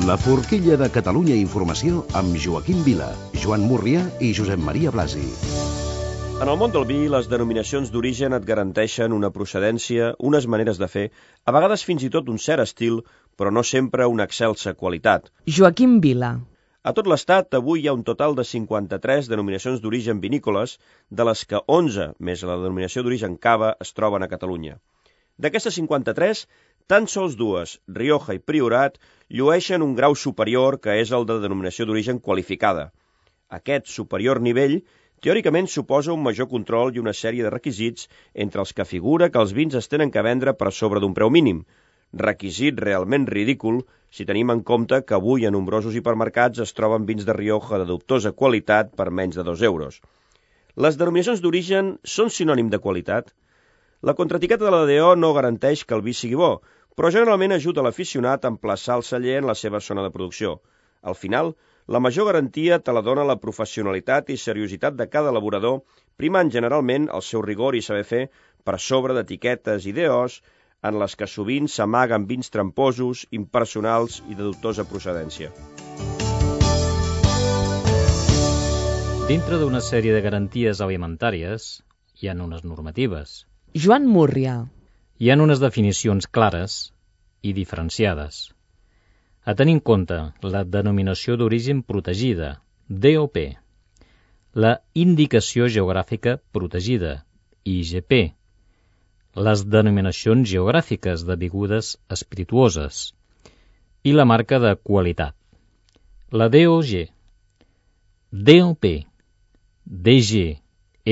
La forquilla de Catalunya Informació amb Joaquim Vila, Joan Murrià i Josep Maria Blasi. En el món del vi, les denominacions d'origen et garanteixen una procedència, unes maneres de fer, a vegades fins i tot un cert estil, però no sempre una excelsa qualitat. Joaquim Vila. A tot l'Estat, avui hi ha un total de 53 denominacions d'origen vinícoles, de les que 11, més la denominació d'origen cava, es troben a Catalunya. D'aquestes 53, tan sols dues, Rioja i Priorat, llueixen un grau superior que és el de denominació d'origen qualificada. Aquest superior nivell teòricament suposa un major control i una sèrie de requisits entre els que figura que els vins es tenen que vendre per sobre d'un preu mínim, requisit realment ridícul si tenim en compte que avui a nombrosos hipermercats es troben vins de Rioja de dubtosa qualitat per menys de 2 euros. Les denominacions d'origen són sinònim de qualitat? La contraetiqueta de la DO no garanteix que el vi sigui bo, però generalment ajuda l'aficionat a emplaçar el celler en la seva zona de producció. Al final, la major garantia te la dona la professionalitat i seriositat de cada elaborador, primant generalment el seu rigor i saber fer per sobre d'etiquetes i DOs en les que sovint s'amaguen vins tramposos, impersonals i de dubtosa procedència. Dintre d'una sèrie de garanties alimentàries hi ha unes normatives. Joan Murrià. Hi ha unes definicions clares i diferenciades. A tenir en compte la denominació d'origen protegida, DOP, la indicació geogràfica protegida, IGP, les denominacions geogràfiques de begudes espirituoses i la marca de qualitat, la DOG, DOP, DG,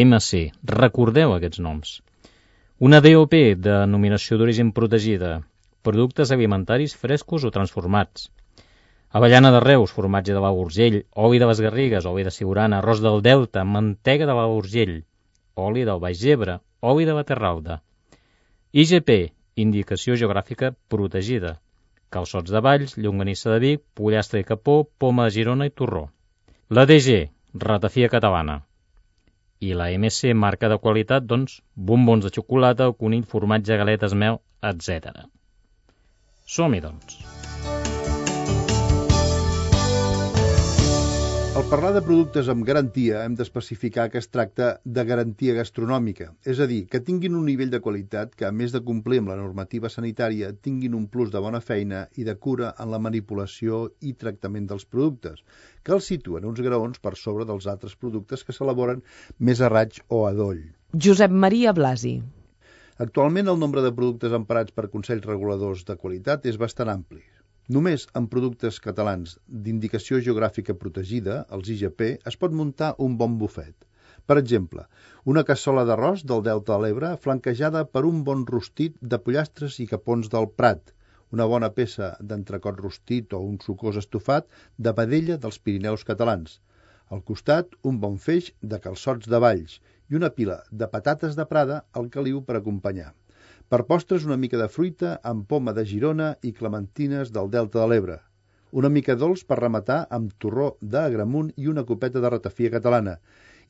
MC, recordeu aquests noms. Una DOP, denominació d'origen protegida, productes alimentaris frescos o transformats. Avellana de Reus, formatge de l'Alt Urgell, oli de les Garrigues, oli de Siurana, arròs del Delta, mantega de l'Alt Urgell, oli del Baix Ebre, oli de la Terralda. IGP, indicació geogràfica protegida, calçots de Valls, llonganissa de Vic, pollastre i capó, poma de Girona i torró. La DG, ratafia catalana. I la MC, marca de qualitat, doncs, bombons de xocolata, o conill, formatge, galetes, mel, etc. Som-hi, doncs. Al parlar de productes amb garantia hem d'especificar que es tracta de garantia gastronòmica, és a dir, que tinguin un nivell de qualitat que, a més de complir amb la normativa sanitària, tinguin un plus de bona feina i de cura en la manipulació i tractament dels productes, que els situen uns graons per sobre dels altres productes que s'elaboren més a raig o a doll. Josep Maria Blasi. Actualment el nombre de productes emparats per consells reguladors de qualitat és bastant ampli. Només en productes catalans d'indicació geogràfica protegida, els IGP, es pot muntar un bon bufet. Per exemple, una cassola d'arròs del Delta de l'Ebre flanquejada per un bon rostit de pollastres i capons del Prat, una bona peça d'entrecot rostit o un sucós estofat de vedella dels Pirineus catalans. Al costat, un bon feix de calçots de Valls i una pila de patates de Prada al caliu per acompanyar. Per postres, una mica de fruita amb poma de Girona i clementines del Delta de l'Ebre. Una mica dolç per rematar amb torró d'Agramunt i una copeta de ratafia catalana.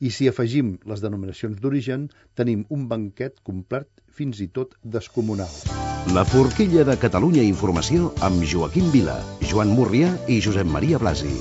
I si afegim les denominacions d'origen, tenim un banquet complet fins i tot descomunal. La forquilla de Catalunya Informació amb Joaquim Vila, Joan Murrià i Josep Maria Blasi.